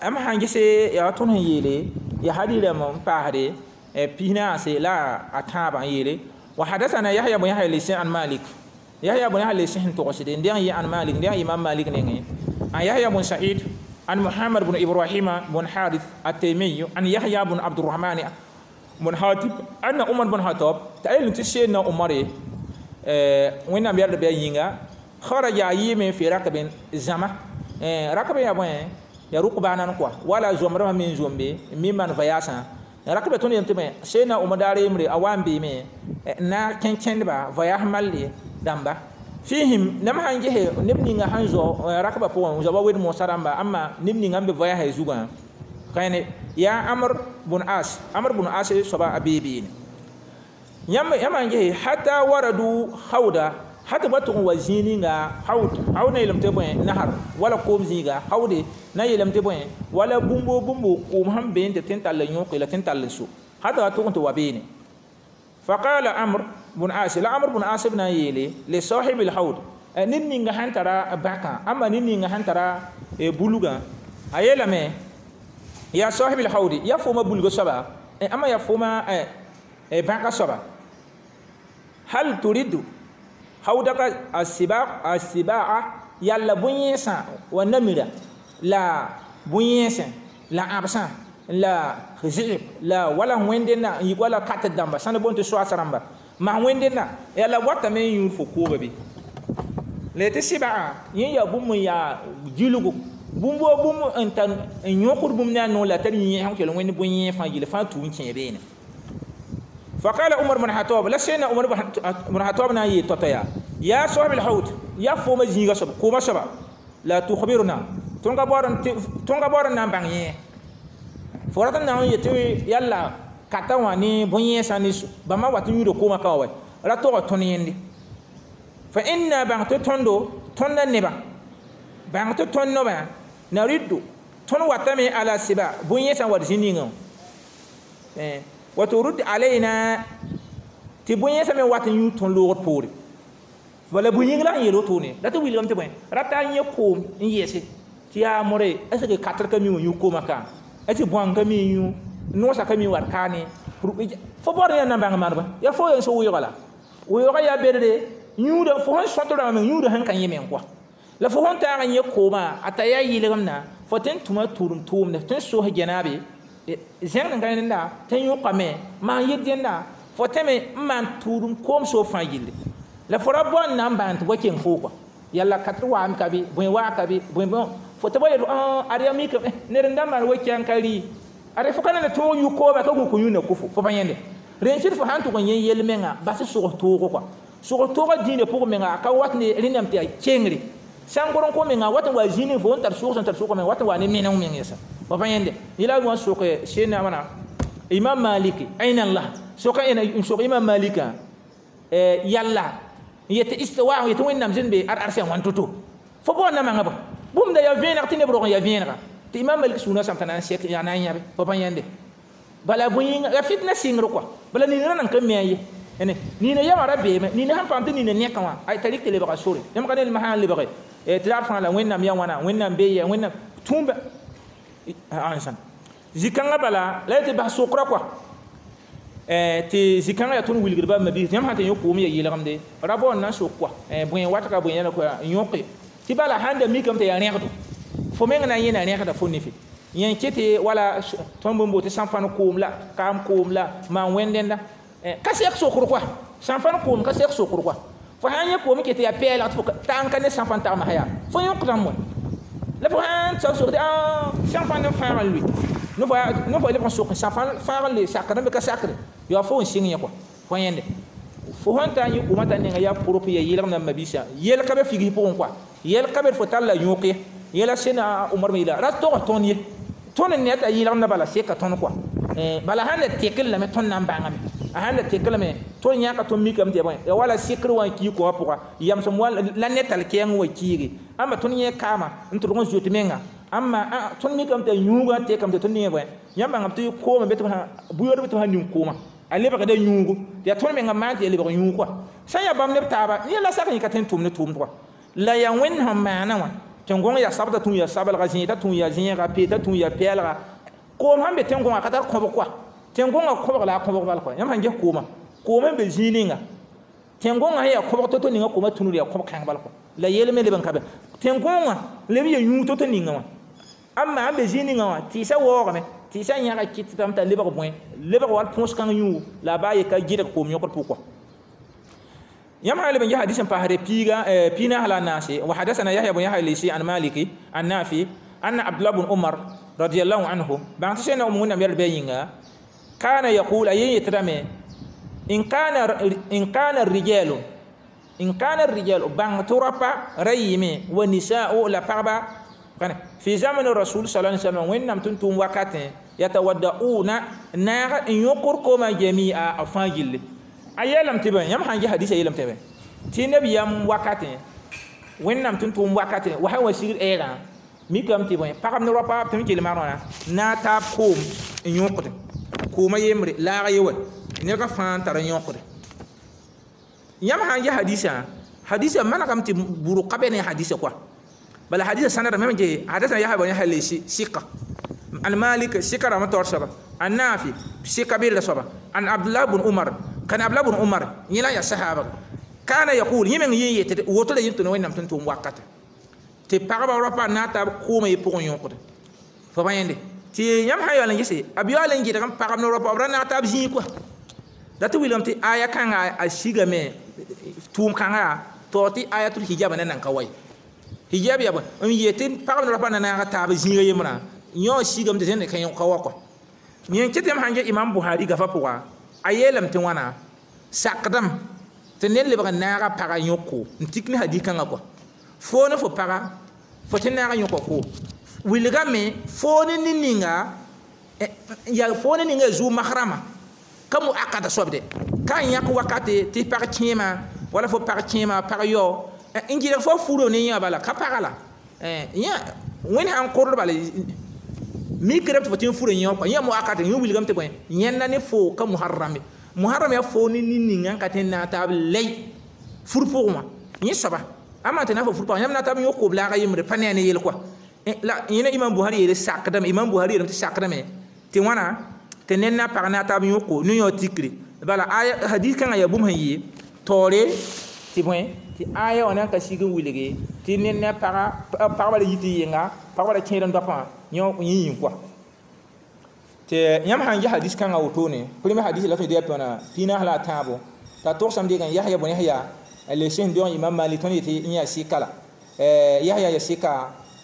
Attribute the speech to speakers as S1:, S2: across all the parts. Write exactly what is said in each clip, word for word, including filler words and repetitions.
S1: Am sãn gese yaa tõnd sẽn yeele ya hadirame n paasde pis-naase la a tãabã n yeele wa hadathana Yahya bun Yahya Laysi an Malik Yahya bun Yahya Laysi sẽn togsde n deng yɩ an Malik n deng Imam Malik nengẽ an Yahya bun Sa'id an Muhammad bun Ibrahim bun Harith at-Taymi an Yahya bun Abdurrahman bun Hatib anna Umar bun Khattab t'a yel tɩ Seydna Umar Wẽnnaam yɛl b yaa yĩnga kharaja a yɩɩme fi rakbin zãma rakb yaa bõe ya rukbanan quoi wala zomrã me n zombe n mi maan voyage rakba tõnd yem tɩ bõe Seydna Umar daar yembre a wa n beeme n na kẽ kẽndba voyage malle dãmba fihim nem sãn gese neb ninga sãn zao rakbã pʋgẽ zoaba wed moosã rãmba ãmba neb ninga n be voyage zugã kãene yaa Amr bun As Amr bun As soaba a bee beene yãmb yãmb n gese hata waradu hawda hata ba tʋg n wa zĩig ninga hawd hawd na yeelame tɩ bõe nahar wala koom zĩiga hawde na yeelame tɩ bõe wala bũmbo bũmbo koom sẽn be n tɩ tɩ n tall n yõke la tɩ n tall n so hata wa tʋg n tɩ wa beene فقال عمرو بن عاص لا عمرو بن عاص بن يلي لصاحب الحوض ned ninga sẽn tara bãkã ãmba ned ninga sẽn tara bulgã a yeelame yaa صاحب الحوض ya fooma bulga soaba ãmba yaa fooma bãka soaba هل ترد حوضك السباع السباع yalla bõe-yẽesã wa namira la bõe-yẽesẽ la ãbsã la zɩɩb la wala wẽndenda n yik wala kat dãmba sãn boond tɩ soaas rãmba maa wẽndenda yalla watame n yũud fo kooba bɩ la tɩ sɩbaa yẽ yaa bũmb n yaa gilgo bũmb wa bũmb n tar n yõkd bũmb ne a noor la tar yẽ sẽn kell wẽnd bõe-yẽ fãa yɩl fãa tuu n kẽ beene فقال عمر بن الخطاب لا سيدنا عمر بن الخطاب نا يتوتيا يا صاحب الحوض يا فوما زيغا سب كوما سبا لا تخبرنا تونغا بورن تونغا بورن نان بان يه فورتا نان يتي يلا kata wã ne bõe-yẽesã ne bãmba wat n yũuda koomã ka wa ra tog tõnd yẽnde fa inna bãng tɩ tõndo tõndã nebã bãng tɩ tõnd nobã nariddu tõnd watame ala siba bõe-yẽesã wat zĩ ningã wa turud alayna tɩ bõe-yẽesã me wat n yũud tõnd loogd poore wala bõe-yĩng la n yeel wotone la tɩ wilgame tɩ bõe rata n yẽ koom n yɛɛse tɩ yaa more est ce que katr ka mi wã yũ koomã ka est ce bõang ka mi n yũ noosã ka mi wat kaane fo baood yã na bãng maneba yaa fo yen so wɩɩga la wɩɩga yaa bedre yũuda fo sẽn sõt rãmbã meng yũuda sẽn ka yẽ meng kɔa la fo sẽn taag n yẽ koomã a ta yaa yɩlgemdã fo tɩ n tũma tʋʋm tʋʋmde tɩ n sos gẽnaabe zẽgd n ka rẽnda tɩ n yõkame maan yɩ dẽnda fo tẽme n maan tʋʋdum koom soob fãa gilli la fo ra bao n na n bãan tɩ bõe keng foo kɔa yalla katr waam ka bɩ bõe waa ka bɩ bõe bõ fo tɩ bõe yel ad yaa mikame ned n da maan wa-kɛng ka rɩ ad fo ka na tõog yũ kooma ka gũk yũnda kʋfo fo pa yẽnde rẽn sɩd fo sãn tʋg n yẽ yel menga bas sʋgs toogo kɔa sʋgs toogã dĩinã pʋgẽ menga a ka wat ne rẽndame tɩ yaa kengre sãn gor n kõ menga wat n wa zĩnig fo n tar sʋgs n tar sʋgã menga wat n wa ne meneng meng yɛsa fo pa yẽnde yẽla wã sok sẽnna wãna Imam Malik aina Allah soka ẽna n sok Imam Malika yalla n yetɩ istiwa yetɩ Wẽnnaam zĩnd be ar arsã wãn to-to fo bao n na manga bõ bũmb da yaa vẽeneg tɩ neb rog n yaa vẽenega tɩ Imam Malik sũurã sãm t'a na n sek yaa na n yãbe fo pa yẽnde bala bõe ya fitna sɩngr kɔa bala nina ra nan ka mi a ye ene nina yama ra beeme nina sãn paam tɩ nina nẽkã wã ay t'a rɩk tɩ lebga sore yãmb ka ned sã n lebge tɩ daar fãa la Wẽnnaam yaa wãna Wẽnnaam bee yɛ Wẽnnaam tũumba ansãn zĩ-kãngã bala la tɩ bas sokra kɔa tɩ zĩ-kãngã yaa tõnd wilgd bãmb mabiis yãmb sã tɩ yõ koom ya yɩlgemde ra bao n na n sok kɔa bõe watga bõe yãla n yõke tɩ bala sãn da mikame tɩ yaa rẽgdo fo meng na n yẽna rẽgda fo nefe yẽ ket wala tõnd bõmb tɩ sãn-fãn koom la kaam koom la maan wẽndẽnda ka sɛk sokr kɔa sãn-fãn koom ka sɛk sokr kɔa fo sãn yẽ koom ket yaa pɛɛlg tɩ fo tãng ka ne sãn-fãn tagmsã yaa fo yõkdame wã la fo sãn tsa sok tɩ sãn-fãn n fãag n lʋɩ no fo leb n sok sãn-fãn fãag n le sakr n be ka sakre yaa fo n sɩng yẽ kɔa fo yẽnde fo sẽn taa n yẽ koomã t'a nenga yaa propre ya yɩlgemdã mabiisã yɛl ka be figis pʋgẽ kɔa yɛl ka be fo tall la yõk ye yɛla sẽna Umar me yeela ra tog tõnd ye tõnd n ne t'a yɩlgemdã bala seka tõnd kɔa bala sãn da tekl lame tõnd na n bãngame a sãn da tekl lame tõnd yãka tõnd mikame tɩ yaa bõe ya wala sɩkr wã n kii koomã pʋga yamsem la ne tall kɛɛng wa kiige ãmba tõnd yẽ kaama n tʋlg n zoet menga ãmba tõnd mikame tɩ yũugã tekame tɩ tõnd ning bõe yãmb bãngame tɩ koomã be tɩ bʋ-yood be tɩ b sã ning koomã a lebgda yũugu tɩ yaa tõnd menga maan tɩ ya lebg yũug kɔa sã n yaa bãmb neb taaba yẽ la sak yẽ ka tõe n tʋm ne tʋʋmd kɔa la yaa Wẽnd sẽn maana wã Tẽn-gõng yaa sabda tũ yaa sabelga, zẽeta tũ yaa zẽega, peeta tũ yaa pɛɛlga. Koom sãn be tẽn-gõngã ka tar kõbg koa. Tẽn-gõngã kõbg la a kõbg bal koa. Yãmb sãn ges koomã, koom n be zĩig ninga tẽn-gõngã sẽn yaa kõbg to-to ninga koomã tũnud yaa kõbg kãng bal koa. La yel me leb n ka be tẽn-gõngã leb n yaa yũud to-to ninga wã. Amma sãn be zĩig ninga wã tɩɩsã waoogame, tɩɩsã yãga kɩtdame t'a lebg bõe, lebg wall põs kãng yũugo la a baa ye ka gɩdg koom yõkd pʋg koa. Yãmb sã n leb n ges hadis n paasde piiga piig naas la a naase. Wa hadasana Yahya bn Yahya Lesi an Maliki an Nafi anna Abdullah bn Umar radiallahu anhu bãng tɩ sẽn Wẽnnaam yɛl bɩ a yĩnga kana yaqul a yen yetdame in kana in kana rijalu in kana rijalu bãng tɩ rapa ra yɩɩme wa nisa'u la pagba fi zaman rasul sallallahu alaihi wasallam Wẽnnaam tʋm tʋʋm wakatẽ yatawadda'una naag n yõkr koomã jami'a a fãa gilli. A yeelame tɩ bõe, yãmb sãn ges hadisa yeelame tɩ bõe tɩ nabiyaam wakatẽ Wẽnnaam tʋm tʋʋm wakatẽ wa sã wa sigd ɛɛgã mikame tɩ bõe pagb ne rapa tɩ m kell magrã naag taab koom n yõkde koomã yembre laag ye wa nega fãa n tar n yõkde. Yãmb sãn ges hadisã, hadisã manegame tɩ bʋrg ka be ne hadisã koa. Bala hadisã sãnda mem ge hadisã Yahya bn Yahya Lesi sɩka an Malik sɩka rãmb taoor soaba an Nafi sɩka bella soaba an Abdullah bn Umar kan Abdullah bn Umar yẽ la yaa sahaba kana yaqul yẽ meng yẽ yetd woto la yẽ tʋ ne Wẽnnaam tʋm tʋʋm wakate tɩ pagba rapa na n taab koomã ye pʋgẽ yõkde fo pa yẽnde tɩ yãmb sã yaool n gese b yaool n gɩdg n pagb ne rapa b ra naag taab zĩig koa. La tɩ wilgame tɩ aya kãnga a sigame tʋʋm kãnga taoor tɩ ayatul hijab na nan ka wa ye. Hijab yaa bõe n yet tɩ pagb ne rapa na naaga taab zĩiga yembrã yõ sigame tɩ zẽnd ka wa koa. Yẽ kɩ tɩ yãmb sãn ges Imam Buhari gafa pʋga a yeelame tɩ wãna sakdame tɩ ned lebg n naaga paga yõk-ko n tik ne hadis kãngã koa. Foo ne fo paga fo tɩ naaga yõka ko wilgame foo ne nin-ninga yaa foo ne ninga zuu mahrama ka mu akada soabde ka n yãk wakate tɩ pag kẽema wala fo pag kẽema pag yao n gɩdg fo furo ne yã bala ka paga la yã Wẽnd sãn kord bala mikr tɩ fo tɩ n fura yã kɔa yã mu akata yẽ wilgame tɩ bõe yẽnda ne fo ka muharrame muharram yaa fo ne nin-ninga n ka tɩ n naag taab lɛy fur pʋgẽ wã yẽ soaba ama tɩ na fo fur pʋgã yãmb na taab yõk koom laaga yembre pa ne a ne yel koa. La yẽna Imam Buhari yeele sakdame, Imam Buhari yeelame tɩ sakdame tɩ wãna tɩ ned na pag na taab yõko ne yõ tikre bala aya hadis kãngã yaa bũmb sẽn yɩ taoore tɩ bõe tɩ aya wã na n ka sig n wilge tɩ ned ne paga pagba ra yi tɩ yenga pagba ra kẽed n doapã yõ yẽ yĩn koa. Tɩ yãmb sãn ges hadis kãngã wotone premier hadis la tõe tɩ yaa tõna piig naas la a tãabo t'a togsame dɩg n Yahya bn Yahya le sẽn dog Imam Malik tõnd yetɩ n yaa sɩka la Yahya yaa sɩka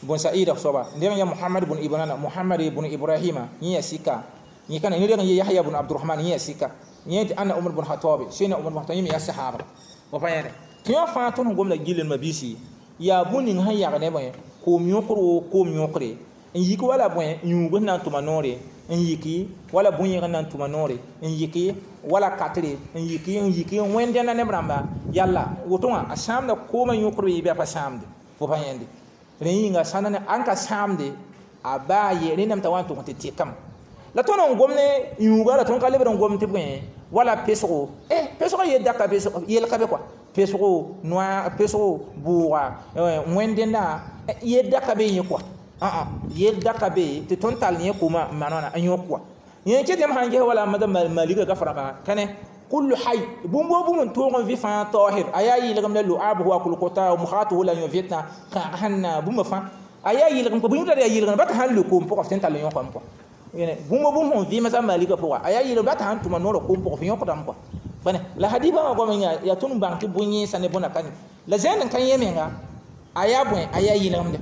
S1: bn Sa'id soaba n deg n yaa Muhammad bn Ibrahim Muhammad bn Ibrahima yẽ yaa sɩka yẽ kana yẽ reg n yee Yahya bn Abdurrahman yẽ yaa sɩka yẽ tɩ anna Umar bn Khattab sẽna Umar bn Khattab yẽ me yaa sahaba wa pa yẽne tɩ yõ fãa tõnd sẽn gomda gillen mabiisi yaa bũn ning sẽn yag ne bõe koom yõkr woo koom yõkre n yik wala bõe yũug sẽn na n tʋma noore n yiki wala bũn-yẽg n na n tʋma noore n yiki wala katre n yiki n yiki n wẽnd dẽnda neb rãmba yalla woto wã a sãamda koomã yõkr yɩ bɩ a pa sãamde fo pa yẽnde rẽ yĩnga sãnda ne ãn ka sãamde a baa ye rẽndame t'a wa n tʋg tɩ tɩkame la tõnd n gom ne yũuga la tõnd ka lebd n gom tɩ bõe wala pesgo eh pesgo yel daka pesgo yel ka be koa pesgo noa pesgo bʋʋga wẽnd dẽnda yel daka be yẽ koa ã yel daka be tɩ tõnd tall yẽ koomã n maan wãna n yõk koa. Yẽ kɩ tɩ yãmb sãn ges wala mada malika gafrãmba kãne kullu hay bũmb woo bũmb n tõog n vɩ fãa taahir a yaa yɩlgem la lu'abuhu wa kulkota mukhatuhu la yõ vɩtã kãag sẽn na bũmba fãa a yaa yɩlgem kɔ bũmb tara yaa yɩlgem ba tɩ sãn le koom pʋgã f tɩ n tall n yõkame kɔa bũmb bũmb sẽn vɩɩmã malika pʋga a yaa yɩlgem ba tɩ sãn tʋma noorã koom pʋgã f yõkdame kɔa. La hadis bãmba goam yĩnga yaa tõnd n bãng tɩ bõe-yẽesã ne bõna ka ne la zẽnd n ka yẽ menga a yaa bõe a yaa yɩlgemde.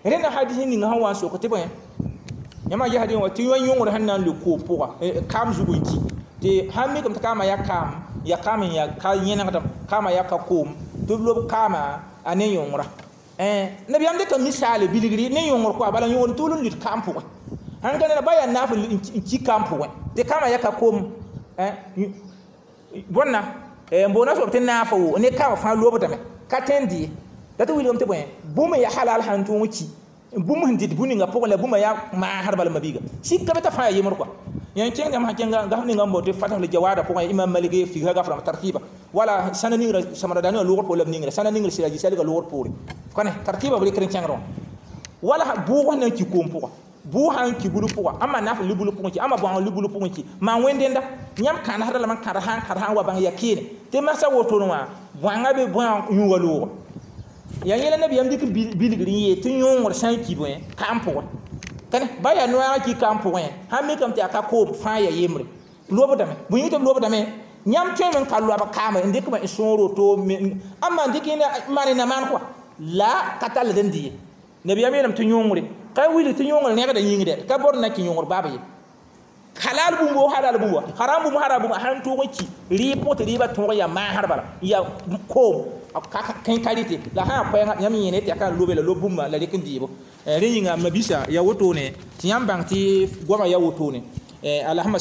S1: Rẽnda hadis ning sẽn wa n sok tɩ bõe yãmb ges hadis wã tɩ yõ yõngr sẽn na n le koom pʋga kaam zug n ki tɩ sãn mikame tɩ kaamã yaa kaam yaa kaam n yaa ka yẽnegdem kaamã yaa ka koom tɩ b lob kaamã a ne yõngra nabiyaam dɩka misaale bilgri ne yõngr koa bala yõngr tʋʋl n lut kaam pʋgẽ sãn ka neda ba yaa naaf n ki kaam pʋgẽ tɩ kaamã yaa ka koom bõnna n boona soab tɩ naafa wo ne kaamã fãa lobdame ka tõe n dɩ la tɩ wilgame tɩ bõe bũmb yaa halal sãn tõog n ki bũmb sẽn dɩt bũn ninga pʋgẽ la bũmba yaa maasd bala mabiiga sika be t'a fãa yaa yembr koa. Yã kẽng yãmb sã kẽnga gaf ninga n bao tɩ fatah jawada pʋgẽ Imam Malik figsã gafrãmb tartiba Wala sãna ningrã samra da ninga loogr pʋgẽ la b ningrã sãna ningr sɩda gisɛlga loogr poore kane tartiba b rɩkr n kẽngr wã wala bʋʋg sẽn na n ki koom pʋga bʋʋg sã n ki bulu pʋga ãmba naf libulu pʋgẽ ki ãmba bõang libulu pʋgẽ ki maan wẽn-dẽnda yãmb kãnesda lame n kãd sã n kãd sã n wa bãng yaa keene tɩ masã wotone wã bõanga be bõa yũuga looga yaa yẽla nabiyaam dɩk bilgr n yeel tɩ yõongr sã n ki bõe kaam pʋgẽ kane ba yaa noaagã ki kaam pʋgẽ sãn mikame tɩ yaa ka koom fãa yaa yembre lobdame bõe yĩng tɩ b lobdame yãmb tõeme n ka loab kaame n dɩk n sõor woto ãmba n dɩk maan na maan kɔa la ka tall d n dɩ ye nabiyaam yeelame tɩ yõongre ka wilg tɩ yõongr rẽgda yĩng dɛ ka bor na kɩ yõongr baab ye halal bũmb halal bũmb haram bũmb haram bũmb sãn tʋg n ki rɩɩb pʋgẽ tɩ rɩɩbã tõog yaa maasr bala ya koom kẽ ka rɩtɩ la sã yaa koɛɛngã yãmb yẽne tɩ yaa ka n lobe la lob bũmba la rɩk n dɩɩbo rẽ yĩnga mabisa yaa wotone tɩ yãmb bãng tɩ goamã yaa wotone alhamd.